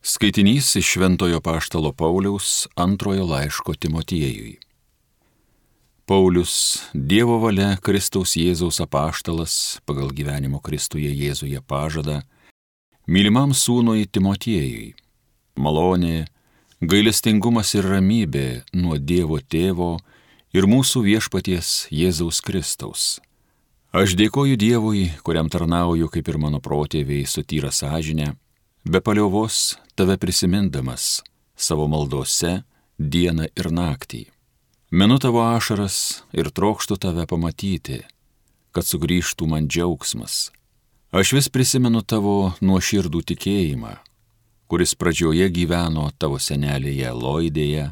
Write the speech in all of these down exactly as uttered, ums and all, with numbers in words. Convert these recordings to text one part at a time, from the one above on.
Skaitinys iš Šventojo apaštalo Pauliaus antrojo laiško Timotiejui. Paulius, Dievo valia Kristaus Jėzaus apaštalas, pagal gyvenimo Kristuje Jėzuje pažadą, mylimam sūnui Timotiejui, malonė, gailestingumas ir ramybė nuo Dievo Tėvo ir mūsų viešpaties Jėzaus Kristaus. Aš dėkoju Dievui, kuriam tarnauju kaip ir mano protėviai su tyra sąžinė, be paliovos tave prisimindamas savo maldose dieną ir naktį. Minu tavo ašaras ir trokštu tave pamatyti, kad sugrįžtų man džiaugsmas. Aš vis prisimenu tavo nuoširdų tikėjimą, kuris pradžioje gyveno tavo senelėje Loidėje,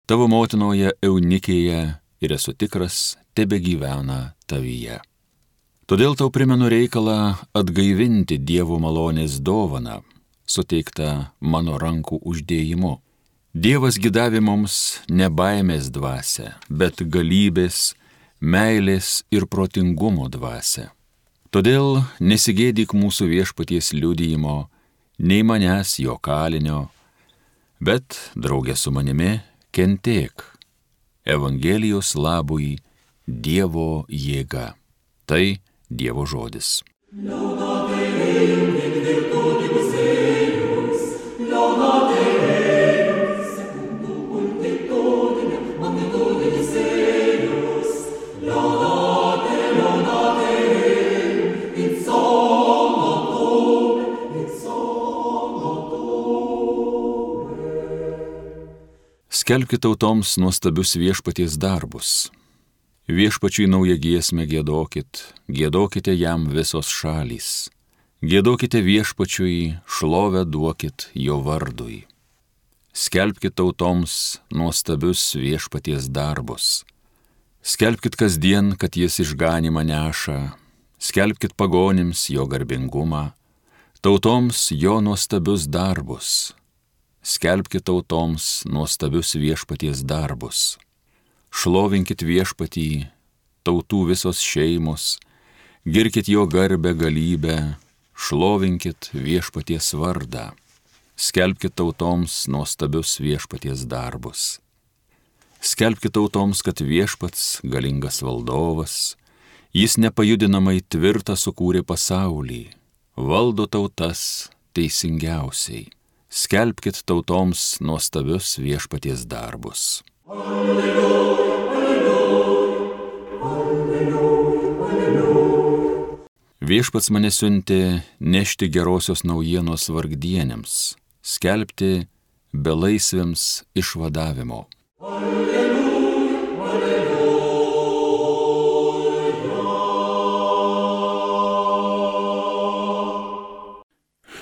tavo motinoje Eunikėje ir esu tikras, tebe gyvena tavyje. Todėl tau primenu reikalą atgaivinti Dievo malonės dovaną, suteikta mano rankų uždėjimu. Dievas gidavė mums ne baimės dvasią, bet galybės, meilės ir protingumo dvasią. Todėl nesigėdyk mūsų viešpaties liudijimo, nei manęs jo kalinio, bet draugė su manimi kentėk. Evangelijos labui Dievo jėga. Tai Dievo žodis. Skelbkite tautoms nuostabius viešpaties darbus. Viešpačiui naują giesmę giedokit, giedokite jam visos šalys. Giedokite viešpačiui, šlovę duokit jo vardui. Skelbkite tautoms nuostabius viešpaties darbus. Skelbkit kasdien, kad jis išganymą neša. Skelbkit pagonims jo garbingumą, tautoms jo nuostabius darbus. Skelbkit tautoms nuostabius viešpaties darbus. Šlovinkit viešpatį, tautų visos šeimos, girkit jo garbę galybę, šlovinkit viešpaties vardą. Skelbkit tautoms nuostabius viešpaties darbus. Skelbkit tautoms, kad viešpats galingas valdovas, jis nepajudinamai tvirtą sukūrė pasaulį, valdo tautas teisingiausiai. Skelbkit tautoms nuostabius viešpaties darbus. Alleluja, alleluja, alleluja, alleluja. Viešpats mane siuntė nešti gerosios naujienos vargdienėms, skelbti belaisviams išvadavimo. Alleluja, alleluja.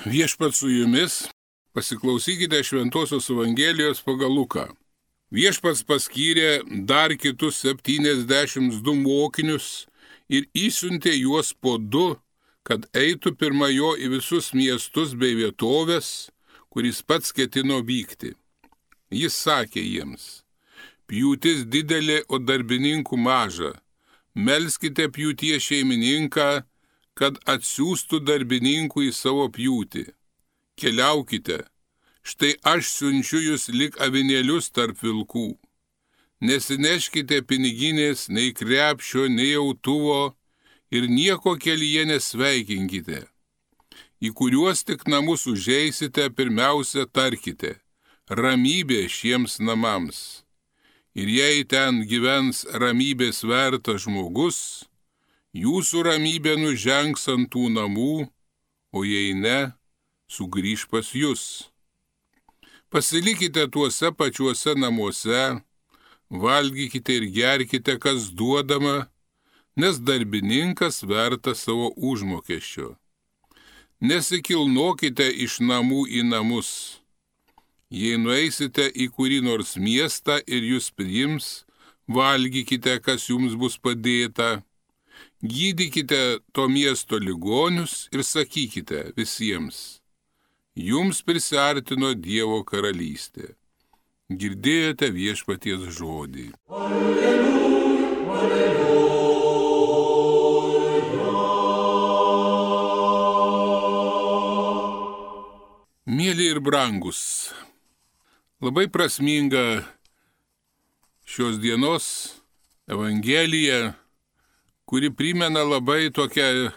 Viešpats su jumis. Pasiklausykite Šventosios Evangelijos pagal Luką. Viešpats paskyrė dar kitus septyniasdešimt du mokinius ir įsiuntė juos po du, kad eitų pirma jo į visus miestus bei vietovės, kuris pats ketino vykti. Jis sakė jiems: pjūtis didelė, o darbininkų maža. Melskite pjūties šeimininką, kad atsiųstų darbininkų į savo pjūtį. Keliaukite, štai aš siunčiu jūs lyg avinėlius tarp vilkų. Nesineškite piniginės, nei krepšio, nei autuvo ir nieko kelyje nesveikinkite. Į kuriuos tik namus užeisite, pirmiausia tarkite: ramybė šiems namams. Ir jei ten gyvens ramybės vertas žmogus, jūsų ramybė nužengs ant tų namų, o jei ne, sugrįž pas jus. Pasilikite tuose pačiuose namuose, valgykite ir gerkite, kas duodama, nes darbininkas vertas savo užmokesčio. Nesikilnokite iš namų į namus. Jei nueisite į kurį nors miestą ir jūs priims, valgykite, kas jums bus padėta. Gydykite to miesto ligonius ir sakykite visiems: jums prisiartino Dievo karalystė. Girdėjote viešpaties žodį. Alleluja, alleluja. Mėly ir brangus, labai prasminga šios dienos Evangelija, kuri primena labai tokią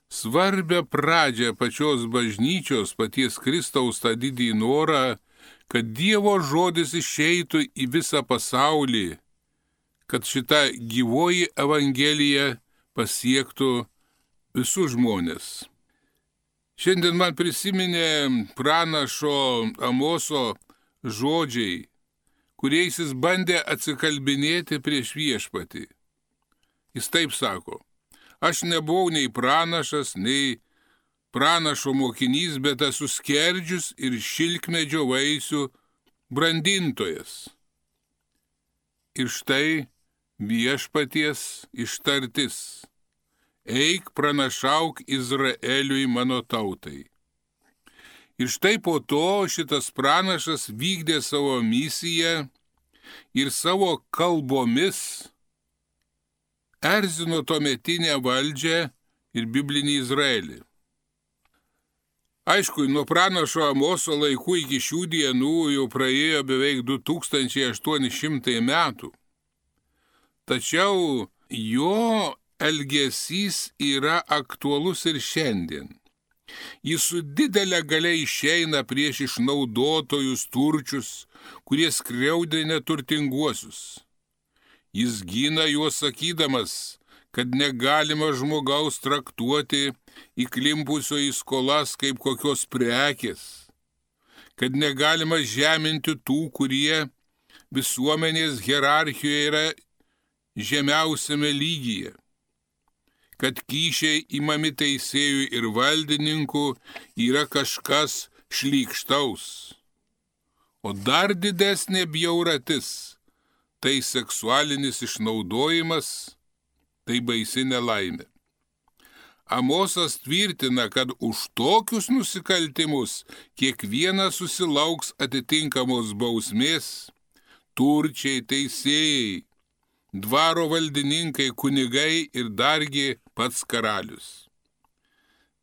svarbią pradžią pačios bažnyčios, paties Kristaus tą didį norą, kad Dievo žodis išeitų į visą pasaulį, kad šita gyvoji Evangelija pasiektų visus žmonės. Šiandien man prisiminė pranašo Amoso žodžiai, kuriais jis bandė atsikalbinėti prieš viešpatį. Jis taip sako: aš nebuvau nei pranašas, nei pranašo mokinys, bet esu skerdžius ir šilkmedžio vaisių brandintojas. Ir štai viešpaties ištartis: eik pranašauk Izraeliui, mano tautai. Ir štai po to šitas pranašas vykdė savo misiją ir savo kalbomis erzino tuometinę valdžią ir biblinį Izraelį. Aišku, nuo pranašo Amoso laikų iki šių dienų jau praėjo beveik du tūkstančiai aštuoni šimtai metų. Tačiau jo elgesys yra aktualus ir šiandien. Jis su didelė galia išeina prieš išnaudotojus turčius, kurie skriaudina turtinguosius. Jis gina juos sakydamas, kad negalima žmogaus traktuoti įklimpusio į skolas kaip kokios prekės, kad negalima žeminti tų, kurie visuomenės hierarchijoje yra žemiausiame lygyje, kad kyšiai imami teisėjų ir valdininkų yra kažkas šlykštaus. O dar didesnė bjauratis – tai seksualinis išnaudojimas, tai baisi nelaimė. Amosas tvirtina, kad už tokius nusikaltimus kiekvienas susilauks atitinkamos bausmės, turčiai, teisėjai, dvaro valdininkai, kunigai ir dargi pats karalius.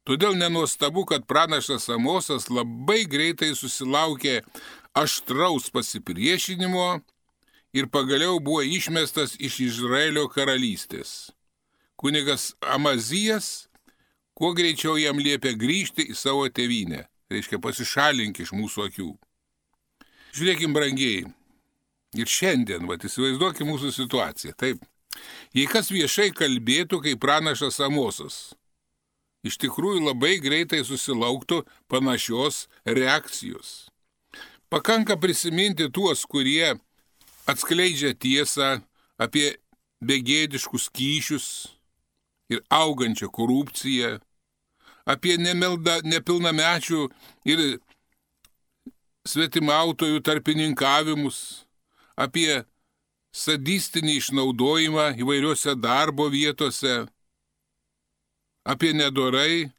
Todėl nenuostabu, kad pranašas Amosas labai greitai susilaukė aštraus pasipriešinimo ir pagaliau buvo išmestas iš Izraelio karalystės. Kunigas Amazijas kuo greičiau jam liepė grįžti į savo tėvynę, reiškia pasišalink iš mūsų akių. Žiūrėkim, brangieji, ir šiandien, vat, įsivaizduokim mūsų situaciją, taip. Jei kas viešai kalbėtų kaip pranašas Amosas, iš tikrųjų labai greitai susilauktų panašios reakcijos. Pakanka prisiminti tuos, kurie atskleidžia tiesą apie begėdiškus kyšius ir augančią korupciją, apie nemelda, nepilnamečių ir svetimautojų tarpininkavimus, apie sadistinį išnaudojimą įvairiuose darbo vietose, apie nedorai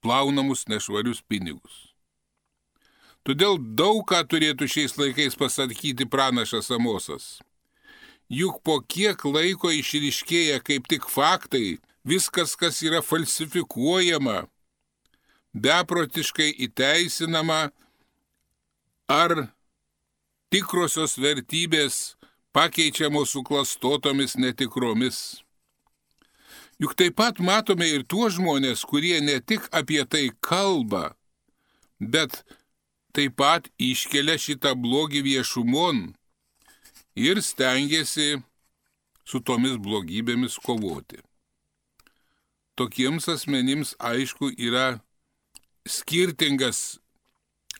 plaunamus nešvarius pinigus. Todėl daug ką turėtų šiais laikais pasakyti pranašas Amosas. Juk po kiek laiko išryškėja kaip tik faktai, viskas, kas yra falsifikuojama, beprotiškai įteisinama ar tikrosios vertybės pakeičiamos suklastotomis netikromis. Juk taip pat matome ir tuos žmonės, kurie ne tik apie tai kalba, bet taip pat iškelia šitą blogį viešumon ir stengiasi su tomis blogybėmis kovoti. Tokiems asmenims, aišku, yra skirtingas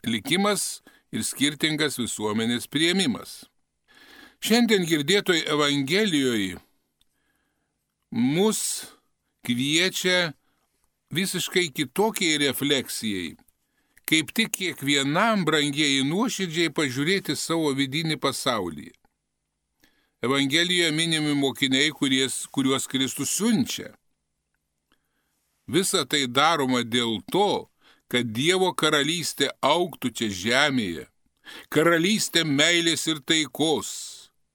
likimas ir skirtingas visuomenės priėmimas. Šiandien girdėtoj Evangelijoje mus kviečia visiškai kitokiai refleksijai, kaip tik kiekvienam, brangieji, nuoširdžiai pažiūrėti savo vidinį pasaulį. Evangelijoje minimi mokiniai, kuries, kuriuos Kristus siunčia. Visa tai daroma dėl to, kad Dievo karalystė augtų čia žemėje, karalystė meilės ir taikos,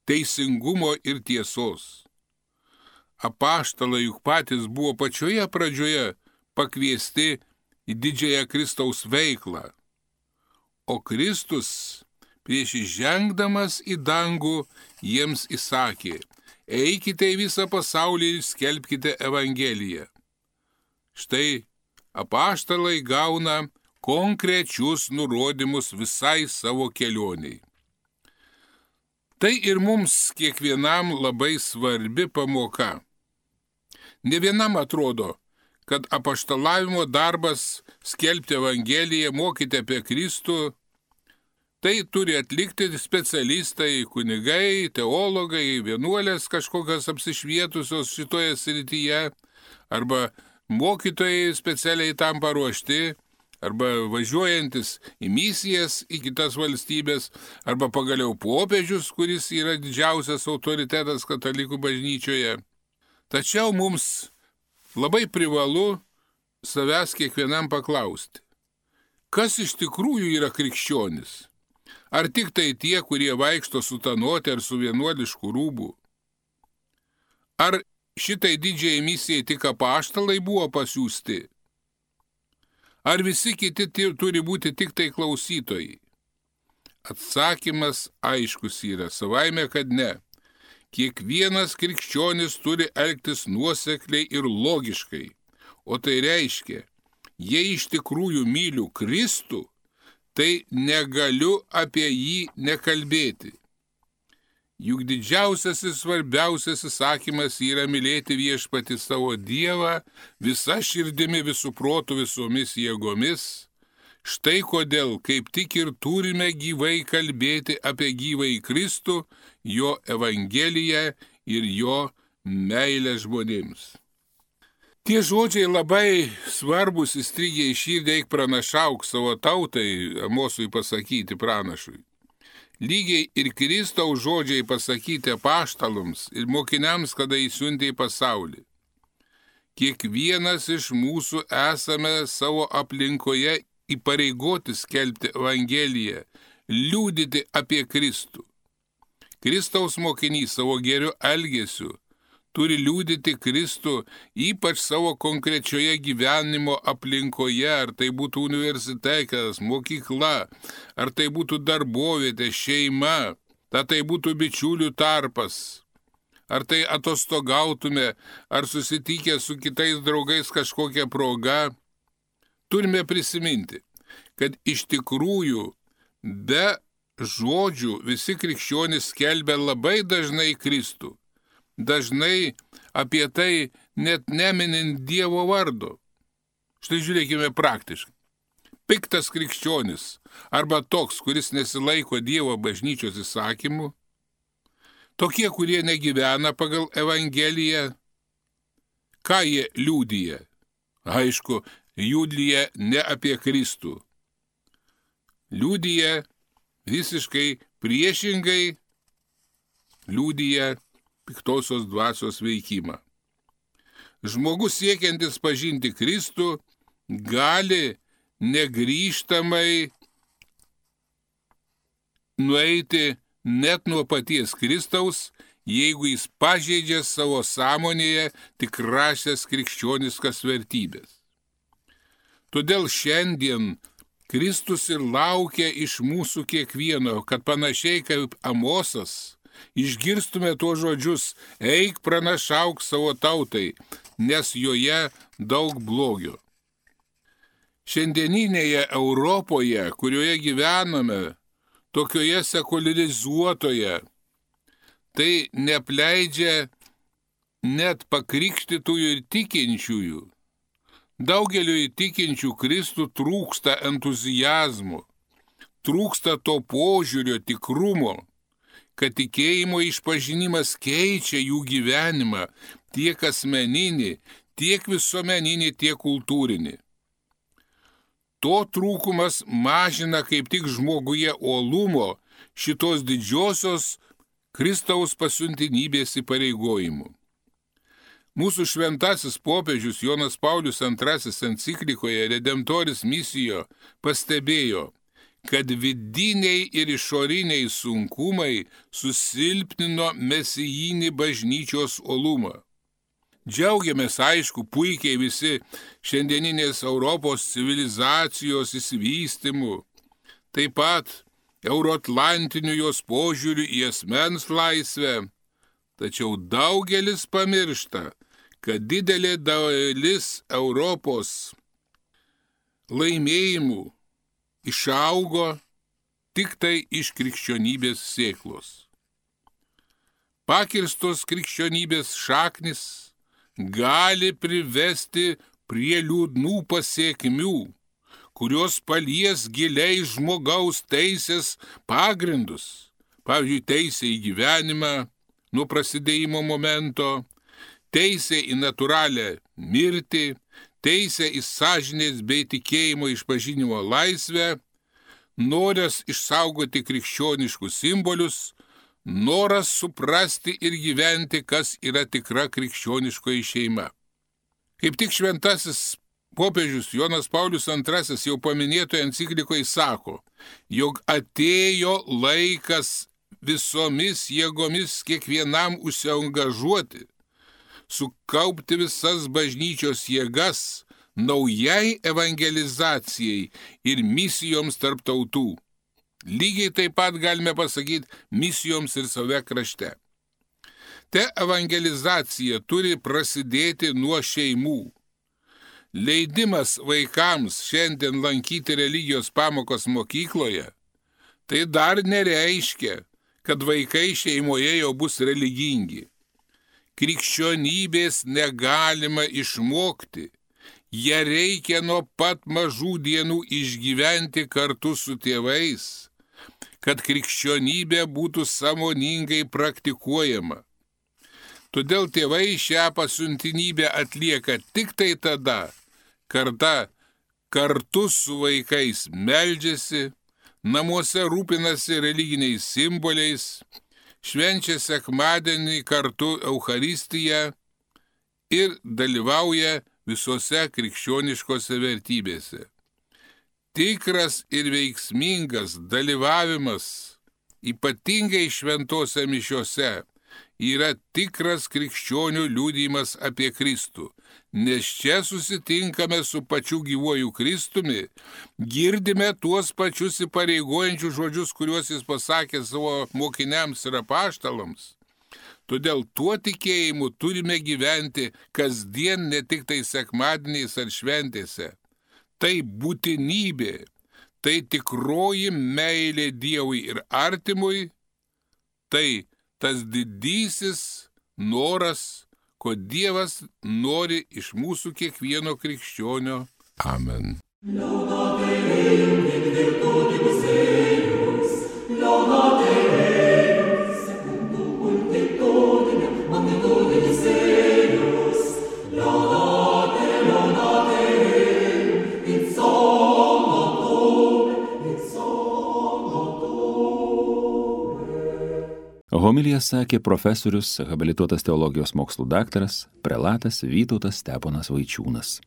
teisingumo ir tiesos. Apaštalai juk patys buvo pačioje pradžioje pakviesti į didžiąją Kristaus veiklą, O Kristus prieš įžengdamas į dangų jiems įsakė: eikite į visą pasaulį ir skelbkite Evangeliją. Štai apaštalai gauna konkrečius nurodymus visai savo kelioniai. Tai ir mums kiekvienam labai svarbi pamoka. Ne vienam atrodo, kad apaštalavimo darbas skelbti Evangeliją, mokyti apie Kristų, tai turi atlikti specialistai, kunigai, teologai, vienuolės kažkokios apsišvietusios šitoje srityje, arba mokytojai specialiai tam paruošti, arba važiuojantis į misijas į kitas valstybės, arba pagaliau popiežius, kuris yra didžiausias autoritetas katalikų bažnyčioje. Tačiau mums labai privalu savęs kiekvienam paklausti, kas iš tikrųjų yra krikščionis? Ar tik tai tie, kurie vaikšto sutanuoti ar su vienuolišku rūbu? Ar šitai didžiai misijai tik apaštalai buvo pasiųsti? Ar visi kiti turi būti tik tai klausytojai? Atsakymas aiškus yra, savaime, kad ne. Kiekvienas krikščionis turi elgtis nuosekliai ir logiškai. O tai reiškia, jei iš tikrųjų myliu Kristų, tai negaliu apie jį nekalbėti. Juk didžiausias ir svarbiausias įsakymas yra mylėti viešpatį savo Dievą visa širdimi, visų protų, visomis jėgomis. Štai kodėl, kaip tik ir turime gyvai kalbėti apie gyvąjį Kristų, jo Evangeliją ir jo meilę žmonėms. Tie žodžiai labai svarbus įstrigė į širdį, eik pranašauk savo tautai, Amosui pasakyti pranašui. Lygiai ir Kristaus žodžiai pasakyti apaštalams ir mokiniams, kada įsiuntė į pasaulį. Kiekvienas iš mūsų esame savo aplinkoje įpareigoti skelbti Evangeliją, liudyti apie Kristų. Kristaus mokinys savo geriu elgesiu turi liudyti Kristų ypač savo konkrečioje gyvenimo aplinkoje, ar tai būtų universitetas, mokykla, ar tai būtų darbovietė, šeima, ar tai būtų bičiulių tarpas, ar tai atostogautume, ar susitikę su kitais draugais kažkokia proga. Turime prisiminti, kad iš tikrųjų be žodžių visi krikščionys skelbia labai dažnai Kristų. Dažnai apie tai net neminint Dievo vardo. Štai žiūrėkime praktiškai. Piktas krikščionis arba toks, kuris nesilaiko Dievo bažnyčios įsakymų, tokie, kurie negyvena pagal Evangeliją, ką jie liudija? Aišku, liudija ne apie Kristų. Liudija visiškai priešingai, liudija piktosios dvasios veikimą. Žmogus siekiantis pažinti Kristų gali negrįžtamai nueiti net nuo paties Kristaus, jeigu jis pažeidžia savo sąmonėje tikrąsias krikščioniškas vertybės. Todėl šiandien Kristus ir laukia iš mūsų kiekvieno, kad panašiai kaip Amosas išgirstume tuos žodžius: eik pranašauk savo tautai, nes joje daug blogio. Šiandieninėje Europoje, kurioje gyvename, tokioje sekularizuotoje, tai neapleidžia net pakrikštytųjų ir tikinčiųjų. Daugeliu įtikinčių Kristų trūksta entuzijazmo, trūksta to požiūrio tikrumo, kad tikėjimo išpažinimas keičia jų gyvenimą, tiek asmeninį, tiek visuomeninį, tiek kultūrinį. To trūkumas mažina kaip tik žmoguje uolumo šitos didžiosios Kristaus pasiuntinybės įpareigojimų. Mūsų šventasis popiežius Jonas Paulius antrasis enciklikoje Redemptoris Misijo pastebėjo, kad vidiniai ir išoriniai sunkumai susilpnino mesijinį bažnyčios uolumą. Džiaugiamės, aišku, puikiai visi šiandieninės Europos civilizacijos išsivystymu. taip pat euroatlantiniu jos požiūriu į asmens laisvę, tačiau daugelis pamiršta, kad didelė dalis Europos laimėjimų išaugo tik tai iš krikščionybės sėklos. Pakirstos krikščionybės šaknis gali privesti prie liūdnų pasiekmių, kurios palies giliai žmogaus teisės pagrindus, pavyzdžiui, teisė į gyvenimą nuo prasidėjimo momento, teisė į natūralią mirtį, teisė į sąžinės bei tikėjimo išpažinimo laisvę, noras išsaugoti krikščioniškus simbolius, noras suprasti ir gyventi, kas yra tikra krikščioniškoji šeima. Kaip tik šventasis popiežius Jonas Paulius antrasis jau paminėtoje enciklikoje sako, jog atėjo laikas visomis jėgomis kiekvienam užsiangažuoti, sukaupti visas bažnyčios jėgas naujai evangelizacijai ir misijoms tarp tautų. Lygiai taip pat galime pasakyti misijoms ir save krašte. Te evangelizacija turi prasidėti nuo šeimų. Leidimas vaikams šiandien lankyti religijos pamokos mokykloje, tai dar nereiškia, kad vaikai šeimoje jau bus religingi. Krikščionybės negalima išmokti, ją reikia nuo pat mažų dienų išgyventi kartu su tėvais, kad krikščionybė būtų sąmoningai praktikuojama. Todėl tėvai šią pasiuntinybę atlieka tik tai tada, kada kartu su vaikais meldžiasi, namuose rūpinasi religiniais simboliais, švenčia sekmadienį kartu Eucharistiją ir dalyvauja visose krikščioniškose vertybėse. Tikras ir veiksmingas dalyvavimas, ypatingai šventose mišiose, yra tikras krikščionių liudijimas apie Kristų, nes čia susitinkame su pačiu gyvuoju Kristumi, girdime tuos pačius įpareigojančius žodžius, kuriuos jis pasakė savo mokiniams ir apaštalams. Todėl tuo tikėjimu turime gyventi kasdien, ne tik tai sekmadieniais ar šventėse. Tai būtinybė, tai tikroji meilė Dievui ir artimui, tai tas didysis noras, ko Dievas nori iš mūsų kiekvieno krikščionio. Amen. Homiliją sakė profesorius, habilituotas teologijos mokslų daktaras, prelatas Vytautas Steponas Vaičiūnas.